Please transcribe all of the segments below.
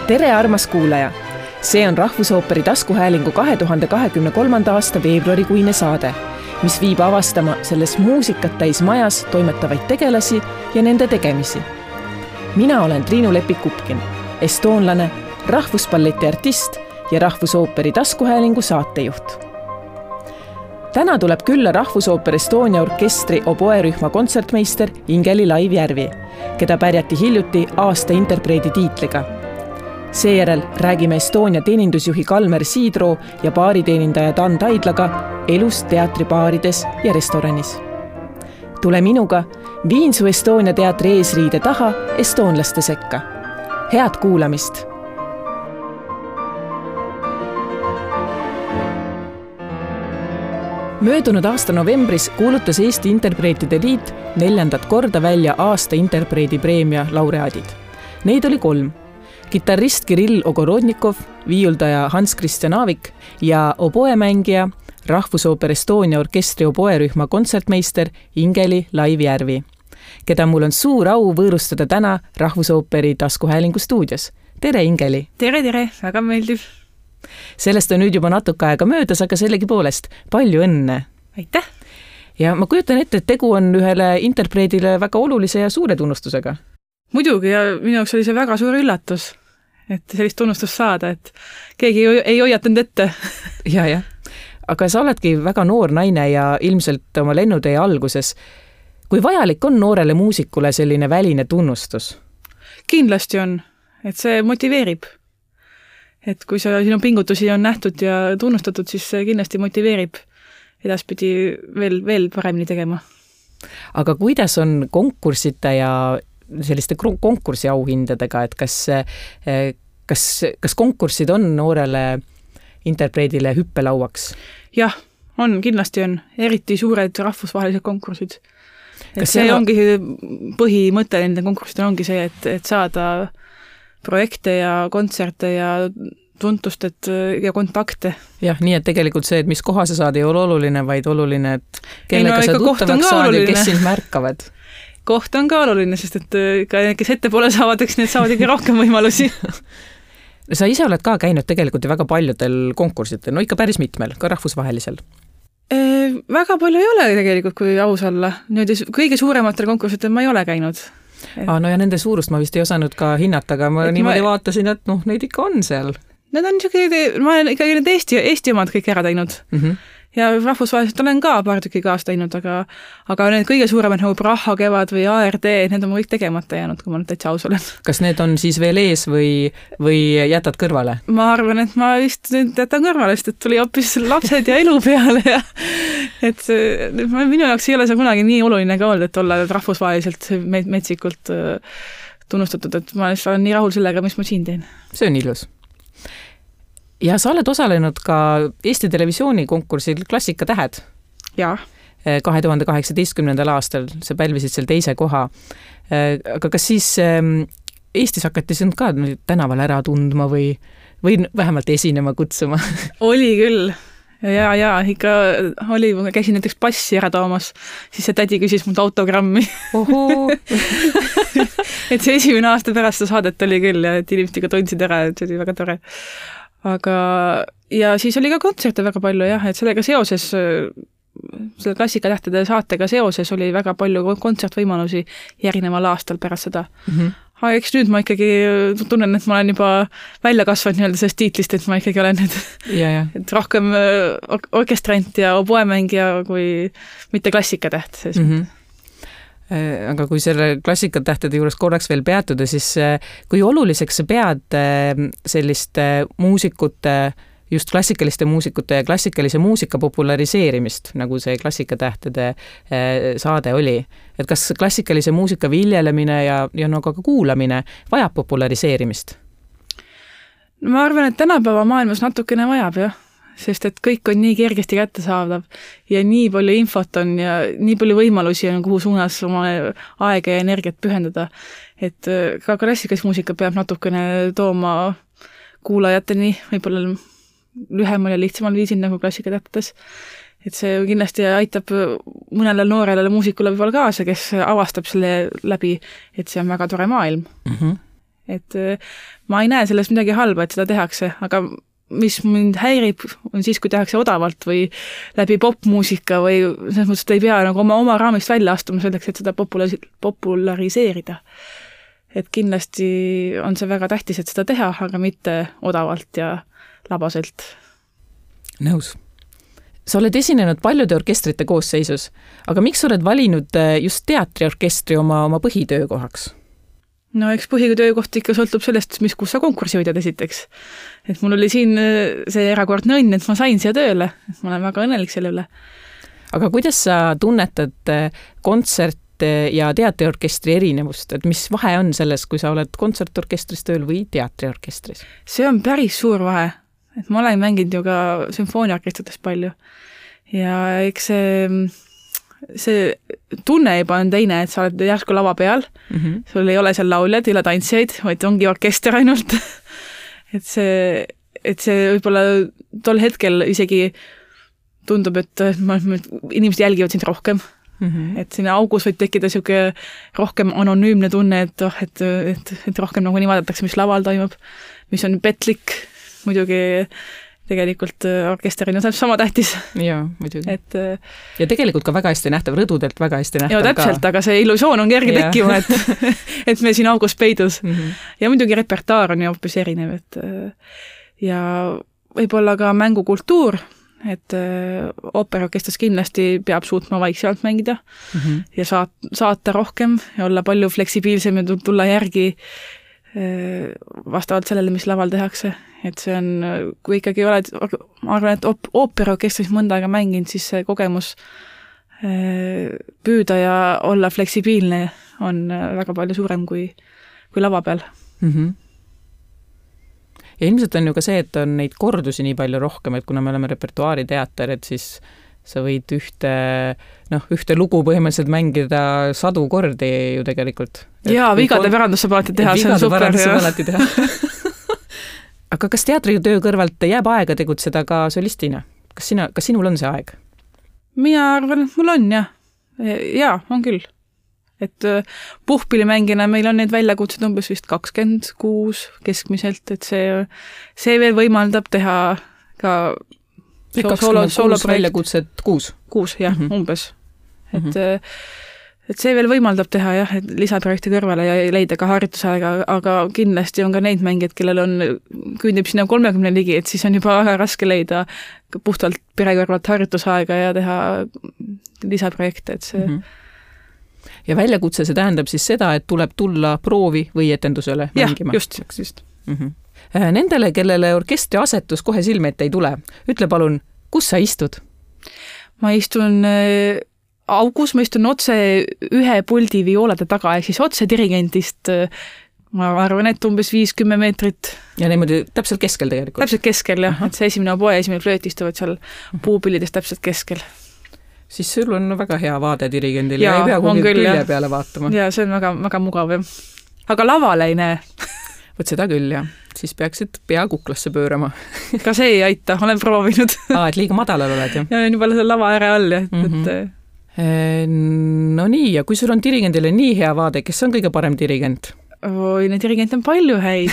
Tere armas kuulaja! See on Rahvusooperi taskuhäälingu 2023. aasta veebruarikuine saade, mis viib avastama selles muusikat täis majas toimetavaid tegelasi ja nende tegemisi. Mina olen Triinu Lepik-Kupkin, estoonlane, rahvuspalleti artist ja Rahvusooperi taskuhäälingu saatejuht. Täna tuleb külla Rahvusooper Estonia orkestri oboerühma kontsertmeister Ingeli Laivjärvi, keda pärjati hiljuti aasta interpreedi tiitliga. Seejärel räägime Estonia teenindusjuhi Kalmer Siidroo ja baariteenindaja Dan Taidlaga elust teatribaarides ja restoranis. Tule minuga, viin su Estonia teatri eesriide taha estoonlaste sekka. Head kuulamist! Möödunud aasta novembris kuulutas Eesti Interpreetide Liit 4. korda välja aasta interpreedi preemia laureaadid. Neid oli 3. Kitarrist Kirill Ogorodnikov, viiuldaja Hans-Christian Aavik ja oboemängija Rahvusooper Estonia orkestri oboerühma kontsertmeister Ingeli Laivjärvi, keda mul on suur au võõrustada täna Rahvusooperi taskuhäälingu stuudios. Tere, Ingeli! Tere, väga meeldiv! Sellest on nüüd juba natuke aega möödas, aga sellegi poolest palju õnne! Aitäh! Ja ma kujutan ette, et tegu on ühele interpreedile väga olulise ja suure tunnustusega. Muidugi, ja minu jaoks oli see väga suur üllatus, et sellist tunnustust saada, et keegi ei hoiatanud ette. Ja. Aga sa oledki väga noor naine ja ilmselt oma lennutee alguses. Kui vajalik on noorele muusikule selline väline tunnustus? Kindlasti on, et see motiveerib. Et kui sinu pingutusi on nähtud ja tunnustatud, siis see kindlasti motiveerib edaspidi veel paremini tegema. Aga kuidas on konkursite ja selliste konkursi auhindadega, et kas konkursid on noorele interpreedile hüppelauaks? Jah, kindlasti on. Eriti suured rahvusvahelised konkursid. Et see ongi põhimõte nende konkursidel ongi see, et saada projekte ja kontserte ja tuntust ja kontakte. Jah, nii et tegelikult see, et mis koha sa saad, ei ole oluline, vaid oluline, et kellega sa tuttavaks saad ja kes sind märkavad. Koht on ka oluline, sest et kes ettepoole saavad, eks need saavad ikka rohkem võimalusi. Sa ise oled ka käinud tegelikult väga paljudel konkursitel, no ikka päris mitmel, ka rahvusvahelisel. Väga palju ei ole tegelikult, kui aus olla. Kõige suurematel konkursitel ma ei ole käinud. No ja nende suurust ma vist ei osanud ka hinnata, aga ma niimoodi vaatasin, et neid ikka on seal. Need on ma olen ikkagi need Eesti omad kõik ära teinud. Ja rahvusvaheliselt olen ka paar tükki kaasa teinud, aga need kõige suuremad nagu Praha kevad või ARD, need on kõik tegemata jäänud, kui ma nüüd täitsa aus olen. Kas need on siis veel ees või jätad kõrvale? Ma arvan, et ma vist nüüd jätan kõrvale, sest et tuli hoopis lapsed ja elu peale ja et minu jaoks ei ole see kunagi nii oluline ka olnud, et olla rahvusvaheliselt metsikult tunnustatud, et ma olen nii rahul sellega, mis ma siin teen. See on ilus. Ja sa oled osalenud ka Eesti Televisiooni konkursil Klassikatähed. Jaa. 2018. aastal sa pälvisid seal 2. koha. Aga kas siis Eestis hakati sind ka tänaval ära tundma või vähemalt esinema kutsuma? Oli küll. Ja, ikka oli, käisin näiteks passi ära toomas, siis see tädi küsis mult autogrammi. Et see esimene aasta pärast seda saadet oli küll ja et inimesed ikka tundsid ära, et see oli väga tore. Aga ja siis oli ka kontserte väga palju, et sellega seoses, selle Klassikatähtede saatega seoses oli väga palju kontsertvõimalusi järgneval aastal pärast seda. Aga eks nüüd ma ikkagi tunnen, et ma olen juba välja kasvanud nii-öelda sellest tiitlist, et ma ikkagi olen nüüd et rohkem orkestrant ja oboemängija kui mitte Klassikatäht. Aga kui selle Klassikatähtede juures korraks veel peatuda, siis kui oluliseks sa pead selliste muusikute, just klassikaliste muusikute ja klassikalise muusika populariseerimist, nagu see Klassikatähtede saade oli? Et kas klassikalise muusika viljelemine ja ka kuulamine vajab populariseerimist? Ma arvan, et tänapäeva maailmas natukene vajab, jah. Sest et kõik on nii kergesti kättesaadav ja nii palju infot on ja nii palju võimalusi on, kuhu suunas oma aega ja energiat pühendada. Et ka klassikalist muusika peab natukene tooma kuulajateni võib-olla lühemal ja lihtsamal viisil nagu Klassikatähtedes. Et see kindlasti aitab mõnele noorele muusikule võib-olla kaasa, kes avastab selle läbi, et see on väga tore maailm. et ma ei näe sellest midagi halba, et seda tehakse, aga mis mind häirib, on siis, kui tehakse odavalt või läbi popmuusika või selles mõttes, et ei pea nagu oma raamist välja astuma selleks, et seda populariseerida. Et kindlasti on see väga tähtis, et seda teha, aga mitte odavalt ja labaselt. Nõus. Sa oled esinenud paljude orkestrite koosseisus, aga miks oled valinud just teatriorkestri oma põhitöökohaks? No eks põhitöökoht ikka sõltub sellest, kus sa konkursi võidad esiteks. Et mul oli siin see erakordne õnn, et ma sain siia tööle. Ma olen väga õnnelik selle üle. Aga kuidas sa tunnetad kontsert ja teatriorkestri erinevust? Et mis vahe on selles, kui sa oled kontsertorkestris tööl või teatriorkestris? See on päris suur vahe. Et ma olen mänginud ju ka sümfooniaorkestrites palju. Ja eks see tunne juba on teine, et sa oled järsku lava peal, sul ei ole seal lauljad, ei ole tantsijaid, vaid ongi orkester ainult. et see võib-olla tol hetkel isegi tundub, et inimesed jälgivad sind rohkem. Et sinna augus võib tekkida siuke rohkem anonüümne tunne, et rohkem nagu nii vaadatakse, mis laval toimub, mis on petlik, muidugi tegelikult orkesterina on sama tähtis. Jaa, muidugi. Ja tegelikult ka väga hästi nähtav, rõdudelt väga hästi nähtav. Joo, täpselt, ka. Aga see illusioon on kerge tekkima, et me siin augus peidus. Ja muidugi repertaar on ju hoopis erinev. Ja võib-olla ka mängukultuur, et ooperorkestris kindlasti peab suutma vaikselt mängida ja saata rohkem ja olla palju fleksibiilsem ja tulla järgi vastavalt sellele, mis laval tehakse. Et see on, kui ikkagi oled, ma arvan, et ooperorkestris mõnda aega mänginud, siis see kogemus püüda ja olla fleksibiilne on väga palju suurem kui lava peal. Ja ilmselt on ju ka see, et on neid kordusi nii palju rohkem, et kuna me oleme repertuaariteater, et siis sa võid ühte lugu põhimõtteliselt mängida 100 kordi ju tegelikult. Jaa, vigade pärandus saab alati teha, see on super. Aga kas teatritöö kõrvalt jääb aega tegutseda ka solistina? Kas sinul on see aeg? Mina arvan, et mul on, jah. Jaa, on küll. Et puhpillimängina meil on neid väljakutsed umbes vist 26 keskmiselt, et see veel võimaldab teha ka 26 väljakutset 6? 6, jah, umbes. Et see veel võimaldab teha, jah, et lisaprojekti kõrvale ja leida ka harjutusaega, aga kindlasti on ka neid mängijad, kellel küündib sinna 30 ligi, et siis on juba väga raske leida puhtalt perekõrvalt harjutusaega ja teha lisaprojekte, et see... Ja väljakutse see tähendab siis seda, et tuleb tulla proovi või etendusele mängima? Just. Nendele, kellele orkestri asetus kohe silme ette ei tule, ütle palun, kus sa istud? Ma istun augus, ma istun otse ühe puldi violade taga, ehk siis otse dirigentist, ma arvan, et umbes 5-10 meetrit. Ja niimoodi täpselt keskel tegelikult? Täpselt keskel, jah. Et see esimene oboe ja esimene flööt istuvad seal puupillides täpselt keskel. Siis sul on väga hea vaade dirigendil ja ei pea kuhugi külje peale vaatama. Ja see on väga, väga mugav. Aga lavale ei näe. Võt seda küll, jah. Siis peaksid pea kuklasse pöörama. Ka see ei aita, olen proovinud. Et liiga madalal oled, jah? Ja on juba selle lava ääre all, jah. No nii, ja kui sul on dirigendile nii hea vaade, kes on kõige parem dirigent? Oi, neid dirigente on palju häid.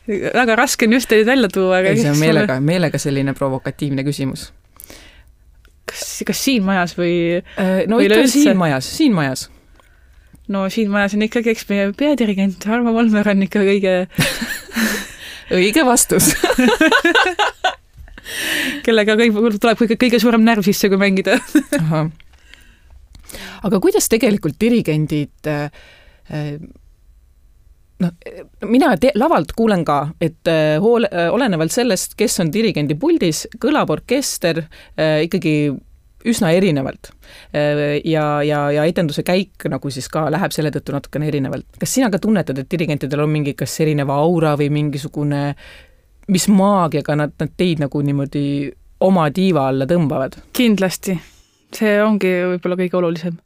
Väga raske on just teid välja tuua. See on meelega selline provokatiivne küsimus. Kas siin majas või... No ikka siin majas. No siin majas on ikkagi, eks meie peadirigent Arvo Volmer on ikka kõige... Õige vastus. Kellega tuleb kõige suurem närv sisse, kui mängida. Aga kuidas tegelikult dirigendid... mina lavalt kuulen ka, et olenevalt sellest, kes on dirigendi puldis, kõlab orkester ikkagi üsna erinevalt. Ja etenduse käik nagu siis ka läheb selle tõttu natukene erinevalt. Kas sina ka tunnetad, et dirigentidel on mingi kas erineva aura või mingisugune, mis maagiaga nad teid nagu niimoodi oma tiiva alla tõmbavad? Kindlasti. See ongi võib-olla kõige olulisem.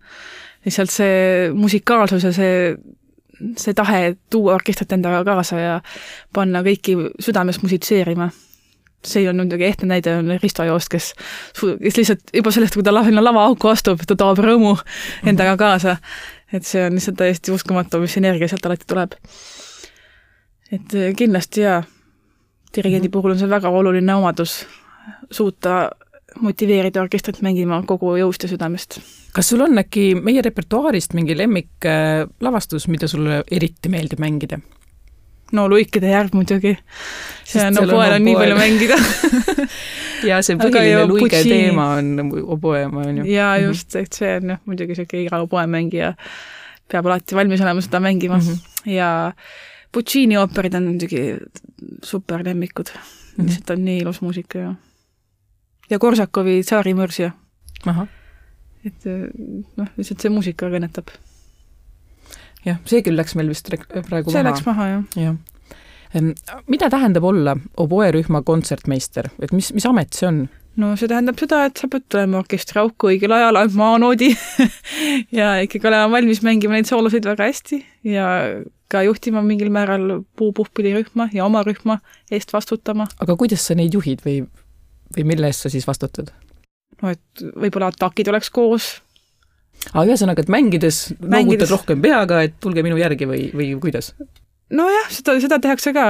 Lihtsalt see musikaalsus ja see tahe tuua orkestrit endaga kaasa ja panna kõiki südames musitseerima. See on muidugi ehtne näide on Risto Joost, kes lihtsalt juba sellest, kui ta lava auku astub, ta toob rõõmu endaga kaasa. et see on lihtsalt täiesti uskumatu, mis energia sealt alati tuleb. Et kindlasti dirigendi puhul on see väga oluline omadus suuta motiveerida orkestrit mängima kogu jõust ja südamest. Kas sul on äkki meie repertuaarist mingi lemmik lavastus, mida sulle eriti meeldib mängida? No Luikide järv muidugi. See on oboel on nii palju mängida. ja see põhiline Luige teema on oboe, on ju. Ja just, et see on muidugi see iga oboe mängija peab alati valmis olema seda mängima. Ja Puccini ooperid on muidugi super lemmikud. Lihtsalt on nii ilus muusika ja Korsakovi Tsaari mõrsja. Et lihtsalt see muusika kõnetab. Jah, see küll läks meil vist praegu see läks maha, jah. Mida tähendab olla oboerühma kontsertmeister? Et mis amet see on? No see tähendab seda, et sa pead tulema orkestri auku õigel ajal, maanoodi ja ikkagi olema valmis mängima neid soolosid väga hästi ja ka juhtima mingil määral puupuhpilirühma ja oma rühma eest vastutama. Aga kuidas sa neid juhid või mille eest sa siis vastutad? No, et võib-olla atakid oleks koos. Ühesõnaga, et mängides noogutad rohkem peaga, et tulge minu järgi või kuidas? No jah, seda tehakse ka.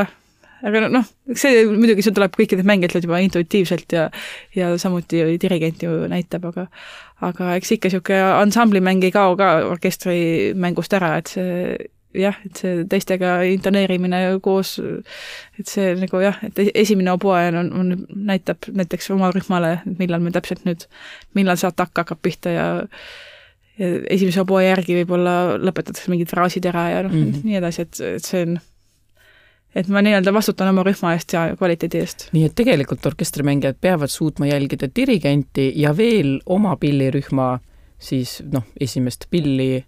Aga see muidugi see tuleb kõikidest mängijatelt juba intuitiivselt ja samuti dirigent ju näitab, aga eks ikka siuke ansamblimäng ei kao ka orkestri mängust ära, et see teistega intoneerimine koos, et see nagu et esimene oboe näitab näiteks oma rühmale, millal me täpselt nüüd, millal see atak hakkab pihta ja esimese oboe järgi võib-olla lõpetatakse mingid fraasid ära ja nii edasi, et see on et ma nii-öelda vastutan oma rühma eest ja kvaliteedi eest. Nii, et tegelikult orkestrimängijad peavad suutma jälgida dirigenti ja veel oma pillirühma siis, esimest pilli,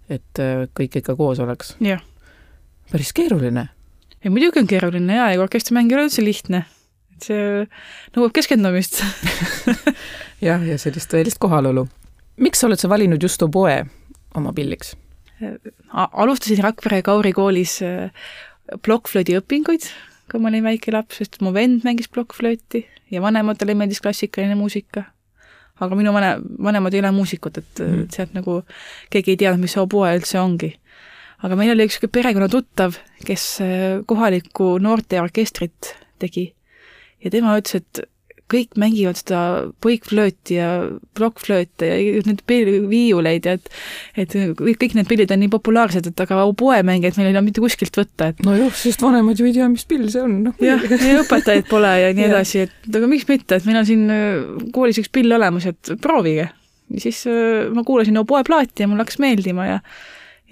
et kõik ikka koos oleks. Jah. Päris keeruline. Ja muidugi on keeruline ja orkestrimäng ei ole üldse lihtne. Et see nõuab keskendumist. ja sellist tõelist kohalolu. Miks oled sa valinud just oboe oma pilliks? Alustasin Rakvere Kauri koolis plokkflöödi õpinguid, kui ma olin väike laps, sest mu vend mängis plokkflööti ja vanematele meeldis klassikaline muusika. Aga minu vanemad ei ole muusikud, et sealt nagu keegi ei teadnud, mis see oboe üldse ongi. Aga meil oli üks perekonna tuttav, kes kohalikku noorte orkestrit tegi ja tema ütles, et kõik mängivad seda põikflööti ja plokkflööte ja need viiuleid ja et kõik need pillid on nii populaarsed, et aga oboe mängijad meil ei ole mitte kuskilt võtta. Et no jah, sest vanemad ju ei tea, mis pill see on. Ja õpetajaid pole ja nii edasi, et aga miks mitte, et meil on siin koolis üks pill olemas, et proovige. Ja siis ma kuulasin oboe plaati ja mul hakkas meeldima ja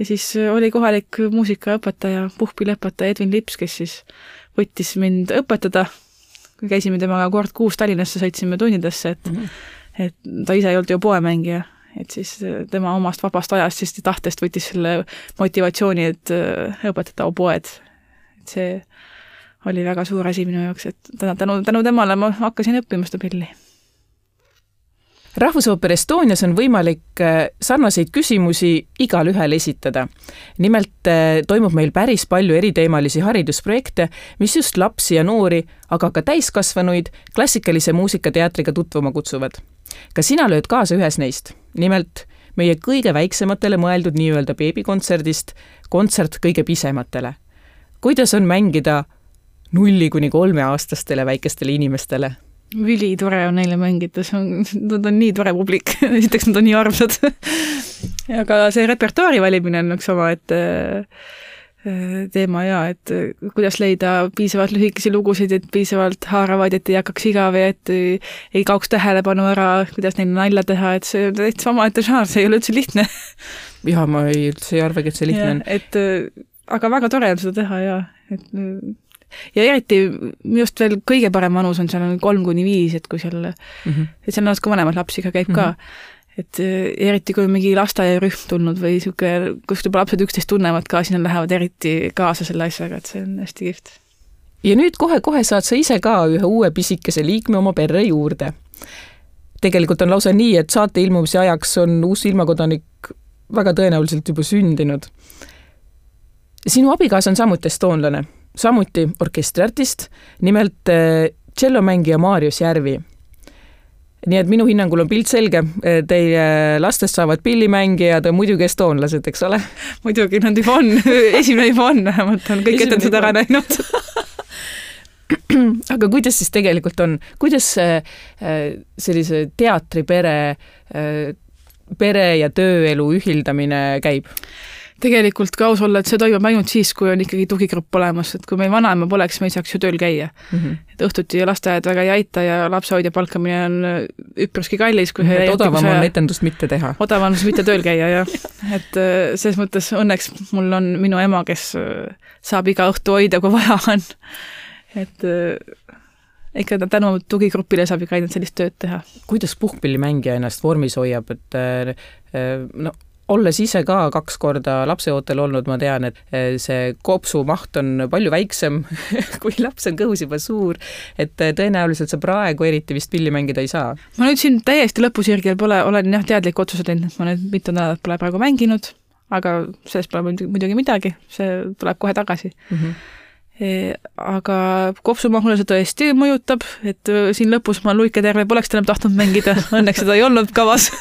siis oli kohalik muusikaõpetaja, puhpilõpetaja Edwin Lips, kes siis võttis mind õpetada. Kui käisime temaga kord 6 Tallinnasse, sõitsime tunnidesse, et ta ise ei olnud ju oboemängija, et siis tema omast vabast ajast siis tahtest võttis selle motivatsiooni, et õpetada oboed. Et see oli väga suur asi minu jaoks, et tänu temale ma hakkasin õppima seda pilli. Rahvusooper Estonias on võimalik sarnaseid küsimusi igal ühel esitada. Nimelt toimub meil päris palju eriteemalisi haridusprojekte, mis just lapsi ja noori, aga ka täiskasvanuid klassikalise muusikateatriga tutvuma kutsuvad. Ka sina lööd kaasa ühes neist. Nimelt meie kõige väiksematele mõeldud nii-öelda beebikontserdist kontsert kõige pisematele. Kuidas on mängida 0–3 aastastele väikestele inimestele? Üli tore on neile mängida, nad on nii tore publik, esiteks nad on nii armsad. Aga see repertuaari valimine on üks oma, et teema et kuidas leida piisavalt lühikesi lugusid, et piisavalt haaravad, et ei hakkaks igav ja et ei kaoks tähelepanu ära, kuidas neile nalja teha, et see on täitsa omaette žanr, see ei ole üldse lihtne. Ja ma üldse ei arvagi, et see lihtne on. Aga väga tore on seda teha ja eriti just veel kõige parem vanus on seal 3–5, et kui seal et seal natuke vanemad lapsi ka käib ka, et eriti kui mingi lasteaiarühm tulnud või siuke, kus juba lapsed üksteist tunnevad ka, siis nad lähevad eriti kaasa selle asjaga, et see on hästi kihvt. Ja nüüd kohe saad sa ise ka ühe uue pisikese liikme oma perre juurde. Tegelikult on lausa nii, et saate ilmumise ajaks on uus ilmakodanik väga tõenäoliselt juba sündinud. Sinu abikaas on samuti estoonlane. Samuti orkestriartist, nimelt tšellomängija Marius Järvi. nii et minu hinnangul on pilt selge, teie lastest saavad pillimängijad ja muidugi estoonlased, eks ole? Muidugi, nad juba on, esimene juba on, vähemalt on kõik etendused ära näinud. Aga kuidas siis tegelikult on, kuidas sellise teatripere ja tööelu ühildamine käib? Tegelikult ka aus olla, et see toimub ainult siis, kui on ikkagi tugigrupp olemas, et kui meil vanaema poleks, me ei saaks ju tööl käia. Et õhtuti lasteaed väga ei aita ja lapsehoidja palkamine on üpriski kallis. Odavam on etendust mitte teha. Odavam on mitte tööl käia, jah. Et selles mõttes õnneks mul on minu ema, kes saab iga õhtu hoida, kui vaja on. Et ikka tänu tugigrupile saab ikka ainult sellist tööd teha. Kuidas puhkpillimängija ennast vormis hoiab, et olles ise ka 2 korda lapseootel olnud, ma tean, et see kopsu maht on palju väiksem, kui laps on kõhus juba suur, et tõenäoliselt sa praegu eriti vist pilli mängida ei saa. Ma nüüd siin täiesti lõpusirgel olen teadlik otsused teinud, et ma nüüd mitu nädalat pole praegu mänginud, aga sellest pole muidugi midagi, see tuleb kohe tagasi. Aga kopsumahule see tõesti mõjutab, et siin lõpus ma Luike terve poleks enam tahtnud mängida, õnneks seda ei olnud kavas.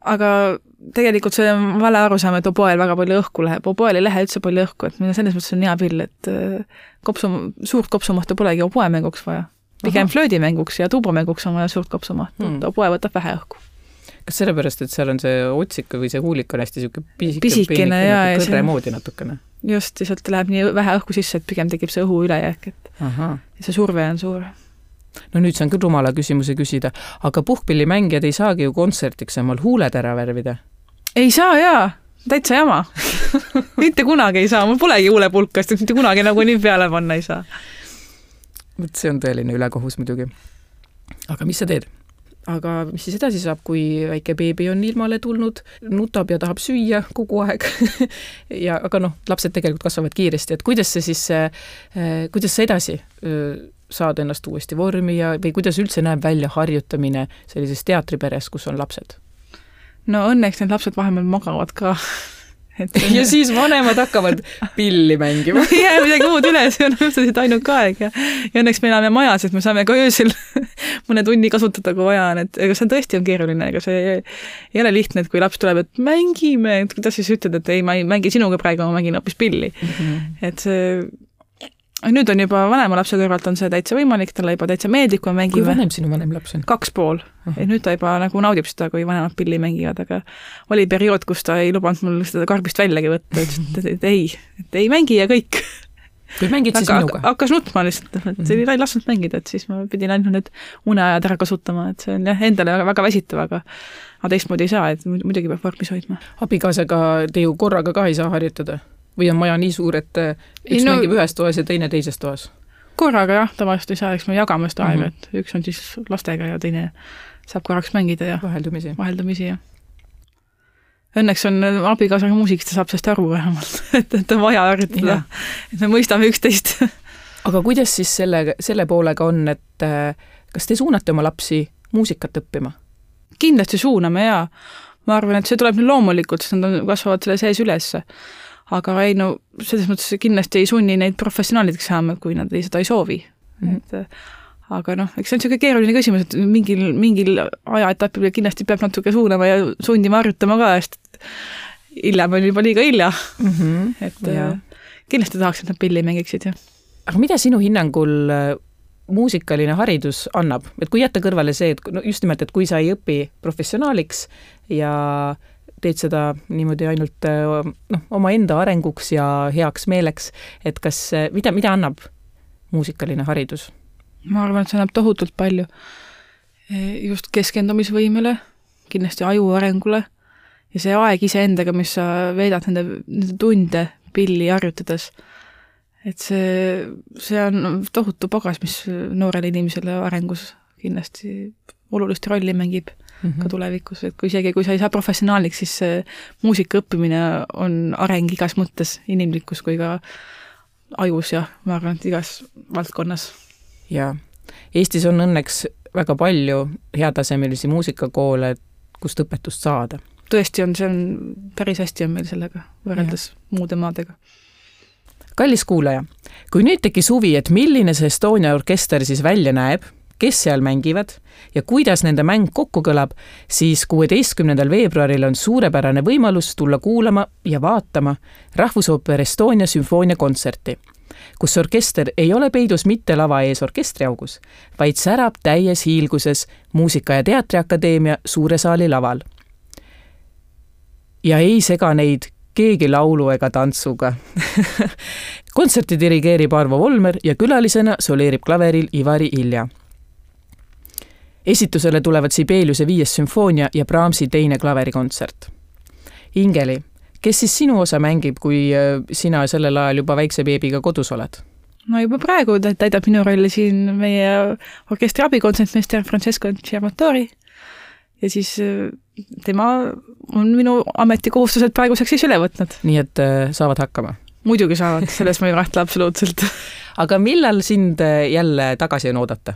Aga tegelikult see on vale arusaam, et oboel väga palju õhku läheb. Oboel ei lähe üldse palju õhku, et selles mõttes on hea pill, et suurt kopsumahtu polegi oboemänguks vaja. Pigem flöödimänguks ja tuubamänguks on vaja suurt kopsumahtu. Oboe võtab vähe õhku. Kas sellepärast, et seal on see otsik või see huulik on hästi pisikene ja kõrre moodi natukene? Just, sealt läheb nii vähe õhku sisse, et pigem tekib see õhu ülejääk, et see surve on suur. No nüüd saan küll rumala küsimuse küsida, aga puhkpillimängijad ei saagi ju kontsertiks omal huuled ära värvida? Ei saa, jaa. Täitsa jama. Mitte kunagi ei saa. Mul polegi huulepulkast, mitte kunagi nagu nii peale panna ei saa. See on tõeline ülekohus muidugi. Aga mis sa teed? Aga mis siis edasi saab, kui väike beebi on ilmale tulnud, nutab ja tahab süüa kogu aeg? Aga lapsed tegelikult kasvavad kiiresti, et kuidas sa edasi saad ennast uuesti vormi või kuidas üldse näeb välja harjutamine sellises teatriperes, kus on lapsed? No õnneks need lapsed vahemalt magavad ka. Ja siis vanemad hakkavad pilli mängima. Ei jää midagi muud üle, see on üldse ainult ka aeg. Ja õnneks me elame majas, et me saame ka öösel mõne tunni kasutada, kui vaja on. Ega see tõesti on keeruline, ega see ei ole lihtne, et kui laps tuleb, et mängime, et kuidas siis ütled, et ei, ma ei mängi sinuga praegu, ma mängin hoopis pilli. Et see nüüd on juba vanema lapse kõrvalt on see täitsa võimalik, talle juba täitsa meeldib, kui mängime. Kui vanem sinu vanem laps on? 2,5. Et nüüd ta juba nagu naudib seda, kui vanemad pilli mängivad, aga oli periood, kus ta ei lubanud mul seda karbist väljagi võtta, et ei mängi ja kõik. Kui mängid siis minuga? Hakkas nutma lihtsalt, et ei lasknud mängida, et siis ma pidin ainult need uneajad ära kasutama, et see on endale väga väsitav, aga teistmoodi ei saa, et muidugi peab vormis hoidma. Abikaasaga te ju korraga ka ei saa harjutada? Või on maja nii suur, et üks mängib ühes toas ja teine teises toas? Korraga jah, tavaliselt ei saa, eks me jagame seda aega, et üks on siis lastega ja teine saab korraks mängida ja vaheldumisi, jah. Õnneks on abikaasaga muusikast, ta saab sellest aru vähemalt, et on vaja harjutada, et me mõistame üksteist. Aga kuidas siis selle poolega on, et kas te suunate oma lapsi muusikat õppima? Kindlasti suuname, jaa. Ma arvan, et see tuleb nüüd loomulikult, sest nad kasvavad selle sees ülesse. Aga ei, selles mõttes kindlasti ei sunni neid professionaalideks saama, kui nad seda ei soovi. Aga eks see on selline keeruline küsimus, et mingil ajaetapil kindlasti peab natuke suunama ja sundima harjutama ka, sest hiljem on juba liiga hilja. Kindlasti tahaks, et nad pilli mängiksid. Aga mida sinu hinnangul muusikaline haridus annab? Et kui jätta kõrvale see, et just nimelt, et kui sa ei õpi professionaaliks ja teed seda niimoodi ainult oma enda arenguks ja heaks meeleks, et mida annab muusikaline haridus? Ma arvan, et see annab tohutult palju. Just keskendumisvõimele, kindlasti aju arengule ja see aeg iseendaga, mis sa veedad nende tunde pilli harjutades. Et see on tohutu pagas, mis noorele inimesele arengus kindlasti olulist rolli mängib. Ka tulevikus, et kui sa ei saa professionaaliks, siis muusika õppimine on areng igas mõttes, inimlikus kui ka ajus ja ma arvan, et igas valdkonnas. Ja Eestis on õnneks väga palju heatasemelisi muusikakoole, kust õpetust saada. Tõesti on, see on päris hästi on meil sellega võrreldes muude maadega. Kallis kuulaja, kui nüüd tekkis huvi, et milline see Estonia orkester siis välja näeb kes seal mängivad ja kuidas nende mäng kokku kõlab, siis 16. veebruaril on suurepärane võimalus tulla kuulama ja vaatama Rahvusooper Estonia sümfooniakontserti, kus orkester ei ole peidus mitte lava ees orkestriaugus, vaid särab täies hiilguses Muusika- ja Teatriakadeemia suure saali laval. Ja ei sega neid keegi laulu ega tantsuga. Kontserti dirigeerib Arvo Volmer ja külalisena soleerib klaveril Ivari Ilja. Esitusele tulevad Sibeliuse 5. sümfoonia ja Brahmsi 2. klaverikontsert. Ingeli, kes siis sinu osa mängib, kui sina sellel ajal juba väikse beebiga kodus oled? No juba praegu täidab minu rolli siin meie orkestri abikontsentmeister Francesco Ciamatori ja siis tema on minu ametikohustused praeguseks siis üle võtnud. Nii et saavad hakkama? Muidugi saavad, selles ma ei rahtle absoluutselt. Aga millal sind jälle tagasi on oodata?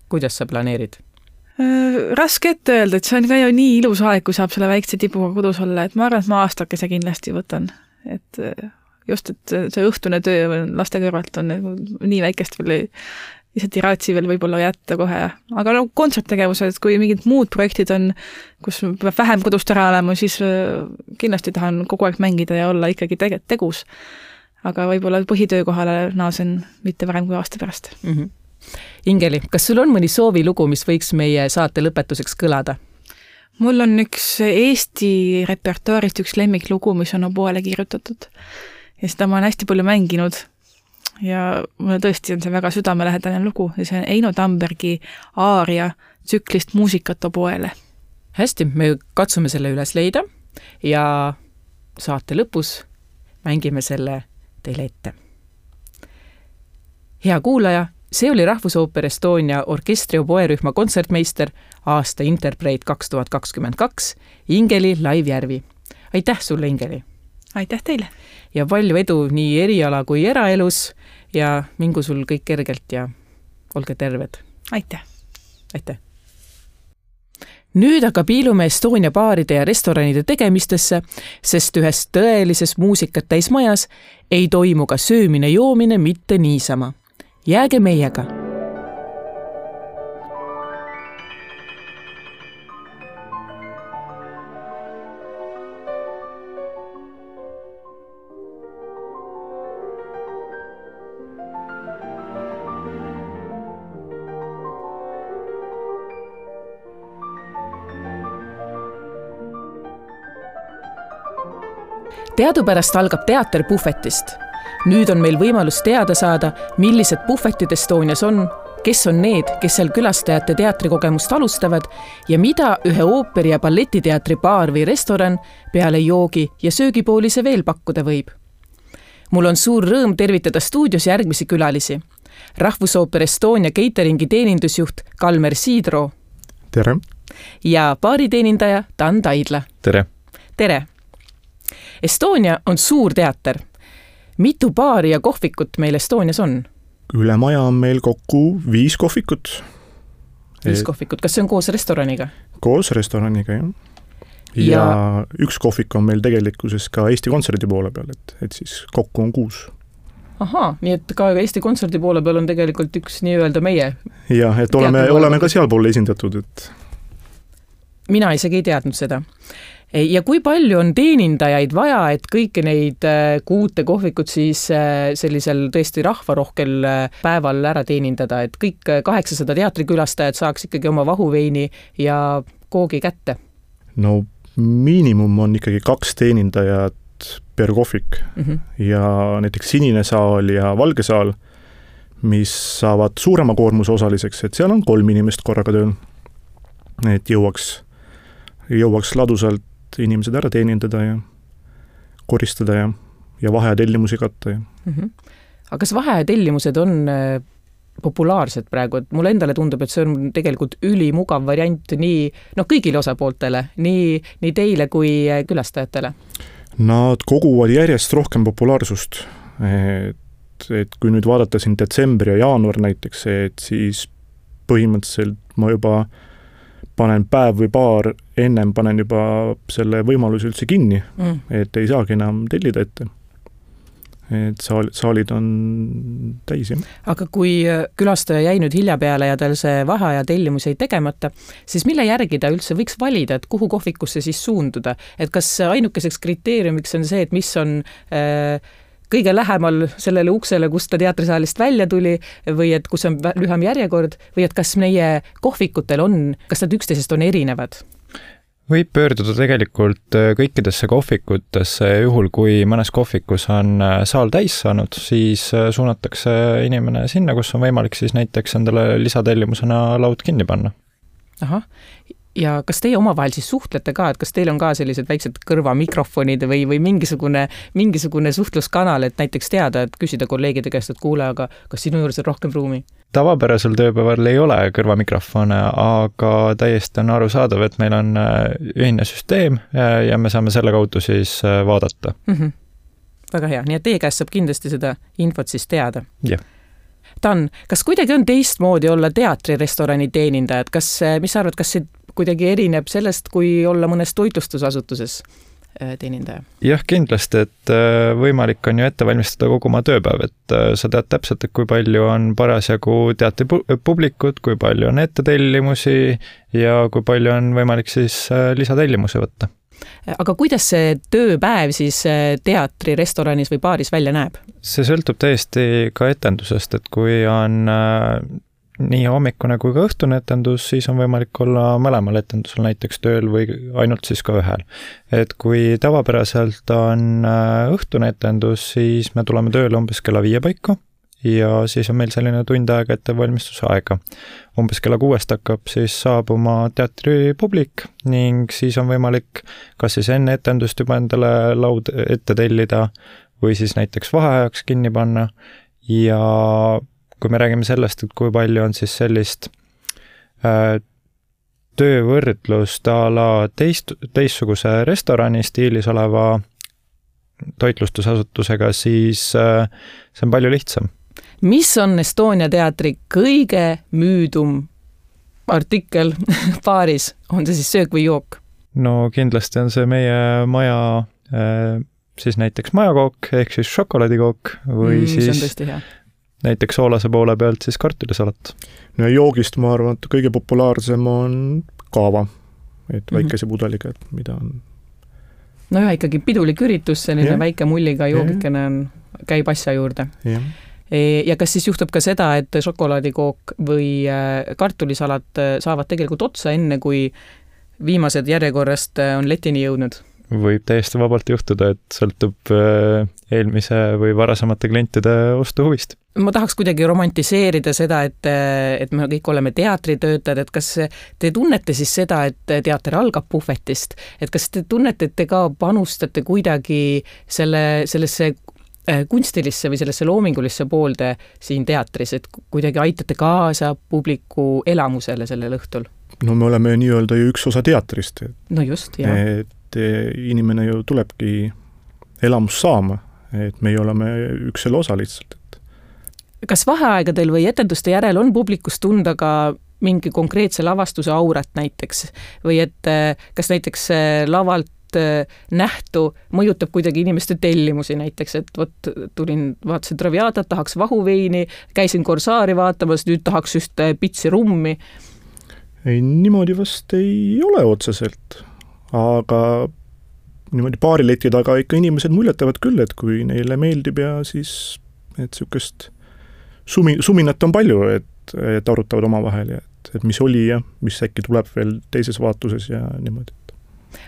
Kuidas sa planeerid? Raske ette öelda, et see on ka ju nii ilus aeg, kui saab selle väikse tibuga kodus olla, et ma arvan, et ma aastakese kindlasti võtan. Et just, et see õhtune töö laste kõrvalt on nii väikest veel, lihtsalt ei raatsi veel võib-olla jätta kohe. Aga no kontserttegevused, kui mingid muud projektid on, kus peab vähem kodust ära olema, siis kindlasti tahan kogu aeg mängida ja olla ikkagi tegus. Aga võib-olla põhitöökohale naasen mitte varem kui aasta pärast. Ingeli, kas sul on mõni soovilugu, mis võiks meie saate lõpetuseks kõlada? Mul on üks Eesti repertuaarist üks lemmiklugu, mis on oboele kirjutatud. Ja seda ma olen hästi palju mänginud ja mulle tõesti on see väga südamelähedane lugu ja see on Eino Tambergi aaria tsüklist Muusikat oboele. Hästi, me katsume selle üles leida ja saate lõpus mängime selle teile ette. Hea kuulaja, see oli Rahvusooper Estonia orkestri oboerühma kontsertmeister aasta Interpreet 2022 Ingeli Laivjärvi. Aitäh sulle, Ingeli! Aitäh teile! Ja palju edu nii eriala kui eraelus ja mingu sul kõik kergelt ja olge terved. Aitäh! Aitäh! Nüüd aga piilume Estonia baaride ja restoranide tegemistesse, sest ühes tõelises muusikat täis majas ei toimu ka söömine-joomine mitte niisama. Jääge meiega! Teadupärast algab teater puhvetist. Nüüd on meil võimalus teada saada, millised puhvetid Estonias on, kes on need, kes seal külastajate teatrikogemust alustavad ja mida ühe ooperi- ja balletiteatri baar või restoran peale joogi ja söögipoolise veel pakkuda võib. Mul on suur rõõm tervitada stuudios järgmisi külalisi. Rahvusooper Estonia cateringi teenindusjuht Kalmer Siidro. Tere! Ja baariteenindaja Dan Taidla. Tere! Tere! Estonia on suur teater. Mitu baari ja kohvikut meil Estonias on? Üle maja on meil kokku 5 kohvikut. 5 kohvikut, kas see on koos restoraniga? Koos restoraniga, jah. Ja üks kohvik on meil tegelikkuses ka Eesti Kontserdi poole peal, et siis kokku on 6. Ahaa, nii et ka Eesti Kontserdi poole peal on tegelikult üks nii-öelda meie. Jah, et oleme ka sealpoole esindatud. Et... Mina isegi ei teadnud seda. Ja kui palju on teenindajaid vaja, et kõiki neid 6 kohvikut siis sellisel tõesti rahvarohkel päeval ära teenindada, et kõik 800 teatrikülastajad saaks ikkagi oma vahuveini ja koogi kätte? No miinimum on ikkagi 2 teenindajat per kohvik ja näiteks Sinine saal ja Valge saal, mis saavad suurema koormuse osaliseks, et seal on 3 inimest korraga tööl, et jõuaks ladusalt inimesed ära teenindada ja koristada ja vahetellimusi katta. Aga kas vahetellimused on populaarsed praegu? Et mulle endale tundub, et see on tegelikult ülimugav variant nii kõigile osapooltele, nii teile kui külastajatele. Nad koguvad järjest rohkem populaarsust. Et kui nüüd vaadata siin detsembri ja jaanuar näiteks, et siis põhimõtteliselt ma juba panen päev või paar ennem panen juba selle võimaluse üldse kinni, et ei saagi enam tellida ette. et saalid on täis. Aga kui külastaja jäi nüüd hilja peale ja tal see vaheaja tellimus jäi tegemata, siis mille järgi ta üldse võiks valida, et kuhu kohvikusse siis suunduda? Et kas ainukeseks kriteeriumiks on see, et mis on kõige lähemal sellele uksele, kust ta teatrisaalist välja tuli või et kus on lühem järjekord või et kas meie kohvikutel kas nad üksteisest on erinevad? Võib pöörduda tegelikult kõikidesse kohvikutesse, juhul kui mõnes kohvikus on saal täis saanud, siis suunatakse inimene sinna, kus on võimalik siis näiteks endale lisatellimusena laud kinni panna. Ahah. Ja kas teie omavahel siis suhtlete ka, et kas teil on ka sellised väiksed kõrvamikrofonid või mingisugune suhtluskanal, et näiteks teada, et küsida kolleegide käest, et kuule, aga kas sinu juures on rohkem ruumi? Tavapärasel tööpäeval ei ole kõrvamikrofone, aga täiesti on arusaadav, et meil on ühine süsteem ja me saame selle kaudu siis vaadata. Väga hea, nii et teie käest saab kindlasti seda infot siis teada. Jah. Dan, kas kuidagi on teistmoodi olla teatrirestorani teenindaja, et mis sa arvad, kas see kuidagi erineb sellest, kui olla mõnes toitlustusasutuses teenindaja? Jah, kindlasti, et võimalik on ju ette valmistada kogu oma tööpäev, et sa tead täpselt, et kui palju on parasjagu teatripublikut, kui palju on ettetellimusi ja kui palju on võimalik siis lisatellimusi võtta. Aga kuidas see tööpäev siis teatrirestoranis või baaris välja näeb? See sõltub täiesti ka etendusest, et kui on nii hommikune kui ka õhtune etendus, siis on võimalik olla mõlemal etendusel näiteks tööl või ainult siis ka ühel. Et kui tavapäraselt on õhtune etendus, siis me tuleme tööle umbes kella 5 paiku ja siis on meil selline tund aega ettevalmistuse aega. Umbes kella 6 hakkab siis saabuma teatripublik ning siis on võimalik kas siis enne etendust juba endale laud ette tellida või siis näiteks vaheajaks kinni panna ja kui me räägime sellest, et kui palju on siis sellist töövõrdlust a la teistsuguse restorani stiilis oleva toitlustusasutusega, siis see on palju lihtsam. Mis on Estonia teatri kõige müüdum artikkel baaris? On see siis söök või jook? No kindlasti on see meie maja, siis näiteks majakook ehk siis šokolaadikook või siis näiteks soolase poole pealt siis kartulisalat. No joogist ma arvan, et kõige populaarsem on kaava, et väikese pudeliga, et mida on. No ja ikkagi pidulik üritus, selline väike mulliga joogikene käib asja juurde. Ja kas siis juhtub ka seda, et šokolaadikook või kartulisalat saavad tegelikult otsa enne, kui viimased järjekorrast on letini jõudnud? Võib täiesti vabalt juhtuda, et sõltub eelmise või varasemate klientide ostuhuvist. Ma tahaks kuidagi romantiseerida seda, et me kõik oleme teatritöötajad, et kas te tunnete siis seda, et teater algab puhvetist, et kas te tunnete, et te ka panustate kuidagi sellesse kunstilisse või sellesse loomingulisse poolde siin teatris, et kuidagi aitate kaasa publiku elamusele sellel õhtul? No me oleme nii-öelda ju üks osa teatrist. No just, jah. Et inimene ju tulebki elamus saama, et me oleme üks selle osa lihtsalt. Kas vaheaegadel või etenduste järel on publikus tunda ka mingi konkreetse lavastuse aurat näiteks? Või et kas näiteks lavalt nähtu mõjutab kuidagi inimeste tellimusi näiteks, et vaatasin Traviatat, tahaks vahuveini, käisin Korsaari vaatamas, nüüd tahaks just pitsi rummi? Ei, niimoodi vast ei ole otseselt, aga niimoodi baarileti taga ikka inimesed muljetavad küll, et kui neile meeldib ja siis et sükest suminat on palju, et arutavad omavahel ja et mis oli ja mis äkki tuleb veel teises vaatuses ja niimoodi.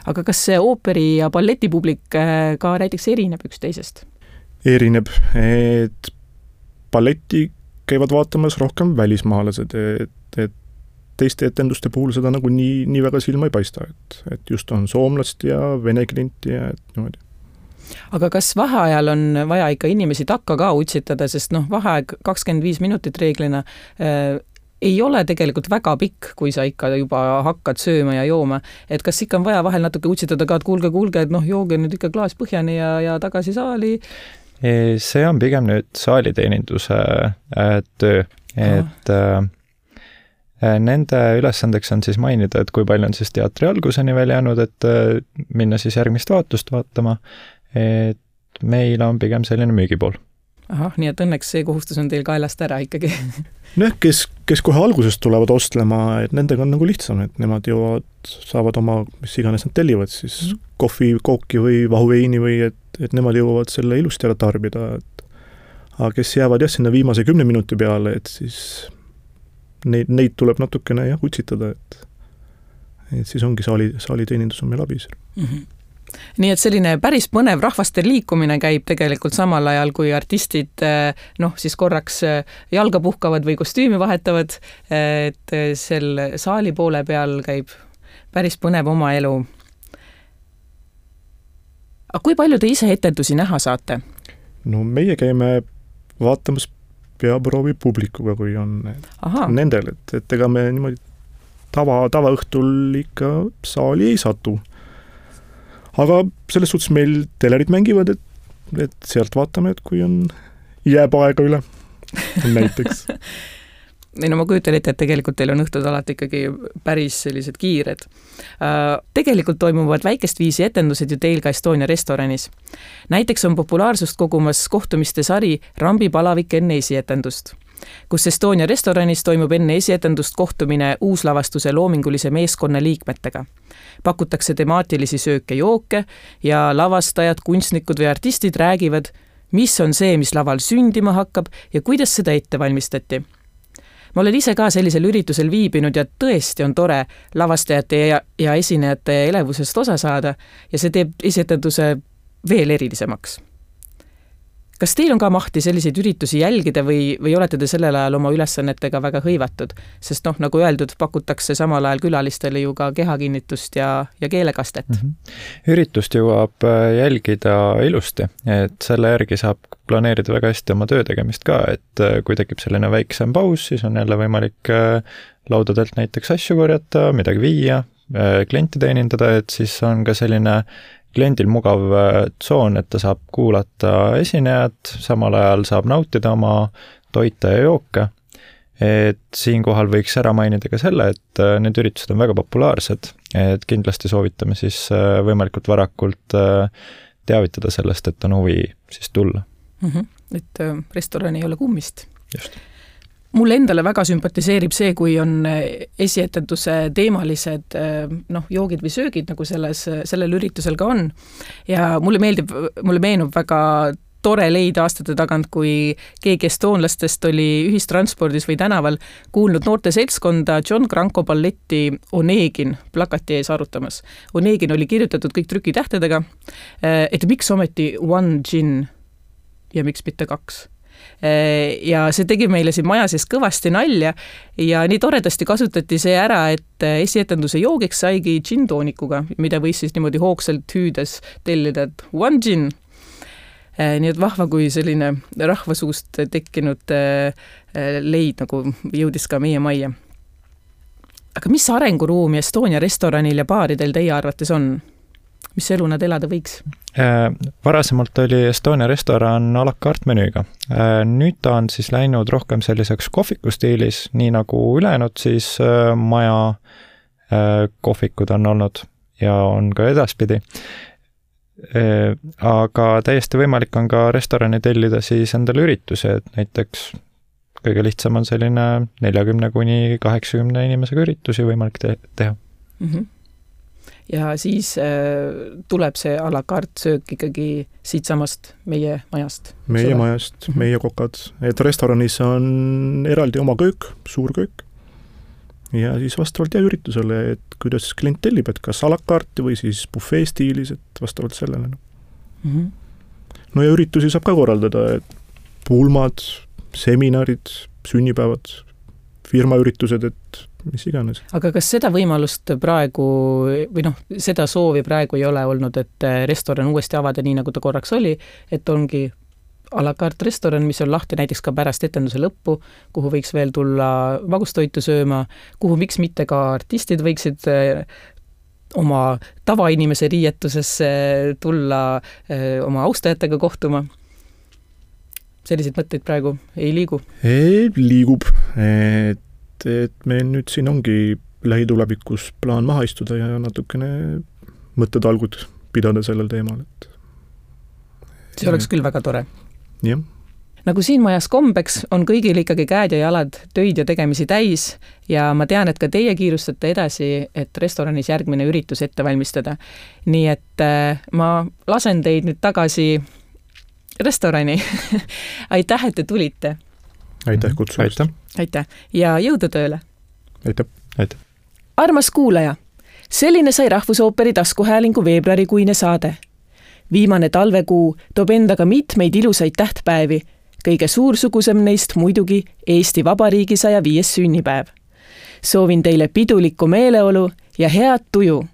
Aga kas see ooperi ja balletipublik ka näiteks erineb üks teisest? Erineb, et balletti käivad vaatamas rohkem välismaalased, et teiste etenduste puhul seda nagu nii väga silma ei paista, et just on soomlast ja vene klienti ja et niimoodi. Aga kas vaheajal on vaja ikka inimesi takka ka utsitada, sest vaheaeg 25 minutit reeglina ei ole tegelikult väga pikk, kui sa ikka juba hakkad sööma ja jooma. Et kas ikka on vaja vahel natuke utsitada ka, et kuulge, et jooge nüüd ikka klaas põhjani ja tagasi saali? See on pigem nüüd saaliteeninduse töö, et nende ülesandeks on siis mainida, et kui palju on siis teatri alguseni veel jäänud, et minna siis järgmist vaatust vaatama, et meil on pigem selline müügipool. Ahah, nii et õnneks see kohustus on teil kaelast ära ikkagi. Kes kohe algusest tulevad ostlema, et nendega on nagu lihtsam, et nemad saavad oma, mis iganes nad tellivad, siis kohvi, kooki või vahuveini või et nemad jõuavad selle ilusti ära tarbida. Aga kes jäävad sinna viimase 10 minuti peale, et siis neid tuleb natukene utsitada, et siis ongi saaliteenindus on meil abis. Nii et selline päris põnev rahvaste liikumine käib tegelikult samal ajal, kui artistid siis korraks jalga puhkavad või kostüümi vahetavad, et sel saali poole peal käib päris põnev oma elu. Aga kui palju te ise etendusi näha saate? No meie käime vaatamas peaproovi publikuga, kui on nendel, et ega me niimoodi tavaõhtul ikka saali ei satu. Aga selles suhtes meil telerid mängivad, et sealt vaatame, et kui jääb aega üle näiteks. Ma kujutan ette, et tegelikult teil on õhtud alati ikkagi päris sellised kiired. Tegelikult toimuvad väikest viisi etendused ju teil ka Estonia restoranis. Näiteks on populaarsust kogumas kohtumiste sari Rambi palavik enne esietendust, kus Estonia restoranis toimub enne esietendust kohtumine uuslavastuse loomingulise meeskonna liikmetega. Pakutakse temaatilisi sööke-jooke ja lavastajad, kunstnikud või artistid räägivad, mis on see, mis laval sündima hakkab ja kuidas seda ette valmistati. Ma olen ise ka sellisel üritusel viibinud ja tõesti on tore lavastajate ja esinejate elevusest osa saada ja see teeb esietenduse veel erilisemaks. Kas teil on ka mahti selliseid üritusi jälgida või olete te sellel ajal oma ülesannetega väga hõivatud? Sest nagu öeldud, pakutakse samal ajal külalistele ju ka kehakinnitust ja keelekastet. Üritust jõuab jälgida ilusti, et selle järgi saab planeerida väga hästi oma töö tegemist ka, et kui tekib selline väiksem paus, siis on jälle võimalik laudadelt näiteks asju korjata, midagi viia, klienti teenindada, et siis on ka selline kliendil mugav tsoon, et ta saab kuulata esinejad, samal ajal saab nautida oma toite ja jooke. Et siinkohal võiks ära mainida ka selle, et need üritused on väga populaarsed, et kindlasti soovitame siis võimalikult varakult teavitada sellest, et on huvi siis tulla. Et restoran ei ole kummist. Just. Mulle endale väga sümpatiseerib see, kui on esietenduse teemalised joogid või söögid, nagu sellel üritusel ka on. Ja mulle meenub väga tore leida aastate tagant, kui keegi estoonlastest oli ühistranspordis või tänaval kuulnud noorte seltskonda John Cranko balletti Onegin plakati ees arutamas. Onegin oli kirjutatud kõik trükitähtedega, et miks ometi one gin ja miks mitte 2. Ja see tegi meile siin maja sees kõvasti nalja ja nii toredasti kasutati see ära, et esietenduse joogiks saigi džintoonikuga, mida võis siis niimoodi hoogsalt hüüdes tellida, et one gin. Nii et vahva, kui selline rahvasuust tekkinud leid nagu jõudis ka meie majja. Aga mis arenguruumi Estonia restoranil ja baaridel teie arvates on? Mis elu nad elada võiks? Varasemalt oli Estonia restoran a la carte menüüga. Nüüd ta on siis läinud rohkem selliseks kohviku stiilis, nii nagu ülejäänud siis maja kohvikud on olnud ja on ka edaspidi. Aga täiesti võimalik on ka restorani tellida siis endale üritusi, et näiteks kõige lihtsam on selline 40–80 inimesega üritusi võimalik teha. Ja siis tuleb see a la carte söök ikkagi siitsamast meie majast. Meie majast, meie kokad. Et restoranis on eraldi oma köök, suur köök. Ja siis vastavalt üritusele, et kuidas klient tellib, et kas a la carte või siis buffet stiilis, et vastavalt sellele. No ja üritusi saab ka korraldada, et pulmad, seminarid, sünnipäevad, firmaüritused, et mis iganes. Aga kas seda võimalust praegu või seda soovi praegu ei ole olnud, et restoran uuesti avada nii, nagu ta korraks oli, et ongi a la carte restoran, mis on lahti näiteks ka pärast etenduse lõppu, kuhu võiks veel tulla magustoitu sööma, kuhu miks mitte ka artistid võiksid oma tavainimese riietusesse tulla oma austajatega kohtuma. Selliseid mõtteid praegu ei liigu? Liigub, et meil nüüd siin ongi lähitulevikus plaan maha istuda ja natukene mõttetalgud pidada sellel teemal, see oleks küll väga tore. Jah. Nagu siin majas kombeks, on kõigil ikkagi käed ja jalad töid ja tegemisi täis ja ma tean, et ka teie kiirustate edasi, et restoranis järgmine üritus ette valmistada. Nii et ma lasen teid nüüd tagasi restorani. Aitäh, et te tulite. Aitäh kutsumast. Aitäh ja jõudu tööle. Aitäh. Armas kuulaja, selline sai Rahvusooperi taskuhäälingu veebruarikuine saade. Viimane talvekuu toob endaga mitmeid ilusaid tähtpäevi, kõige suursugusem neist muidugi Eesti Vabariigi 105. sünnipäev. Soovin teile pidulikku meeleolu ja head tuju.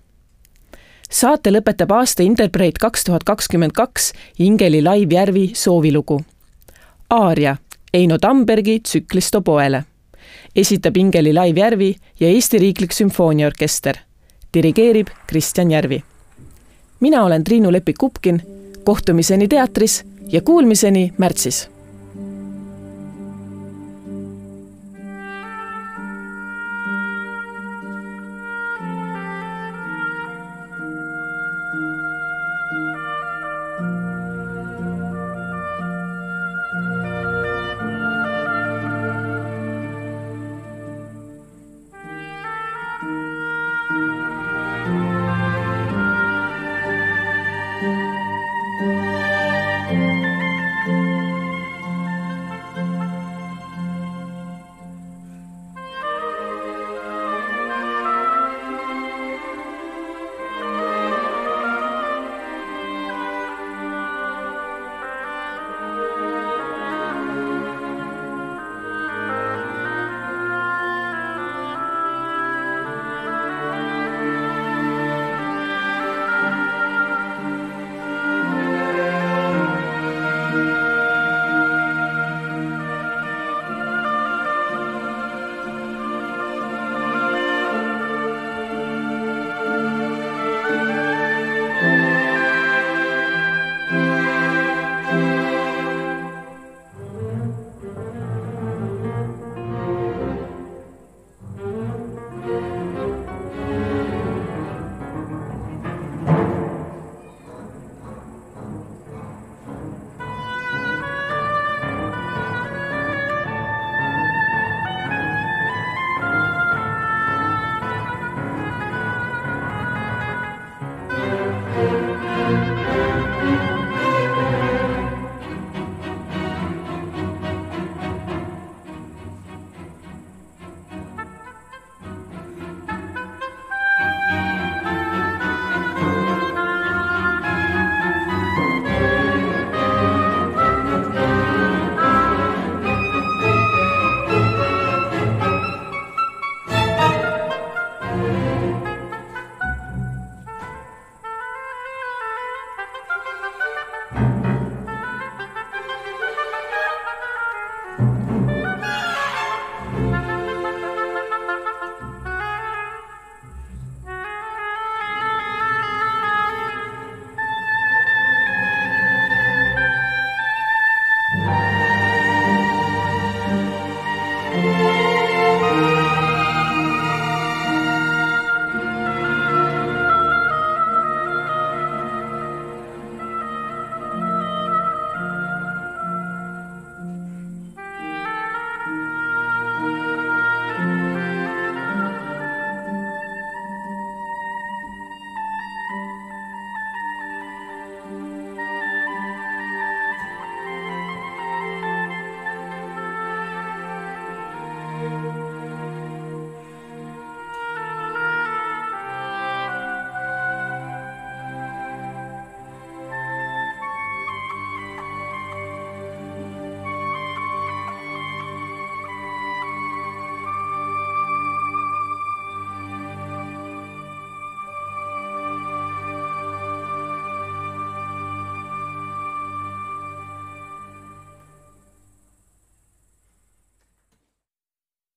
Saate lõpetab aasta Interpreet 2022 Ingeli Laivjärvi soovilugu. Aaria Eino Tambergi tsüklist oboele. Esitab Ingeli Laivjärvi ja Eesti Riiklik Sümfooniaorkester. Dirigeerib Kristjan Järvi. Mina olen Triinu Lepik-Kupkin, kohtumiseni teatris ja kuulmiseni märtsis.